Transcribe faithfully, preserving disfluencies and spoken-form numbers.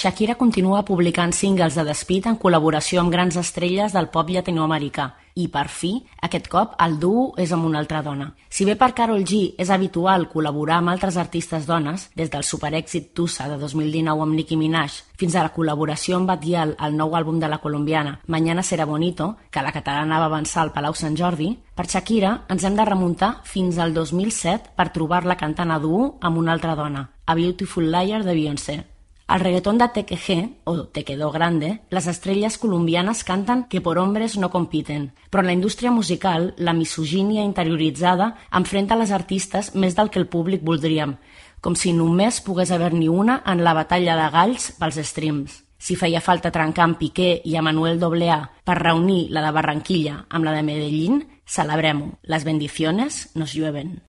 Shakira continua publicant singles de despit en col·laboració amb grans estrelles del pop llatinoamericà i, per fi, aquest cop el duo és amb una altra dona. Si bé per Karol G és habitual col·laborar amb altres artistes dones, des del superèxit Tusa de dos mil dinou amb Nicki Minaj fins a la col·laboració amb Batguial al nou àlbum de la colombiana Mañana será bonito, que la catalana va avançar al Palau Sant Jordi, per Shakira ens hem de remuntar fins al dos mil set per trobar-la cantant a duo amb una altra dona, A Beautiful Liar de Beyoncé. Al reggaetón de Te Quejé, o Te Quedó Grande, les estrelles colombianes canten que por hombres no compiten, però en la indústria musical la misogínia interioritzada enfrenta les artistes més del que el públic voldríem, com si només pogués haver-n'hi una en la batalla de galls pels streams. Si feia falta trencar amb Piqué i a Manuel doble A per reunir la de Barranquilla amb la de Medellín, celebrem-ho. Les bendiciones nos llueven.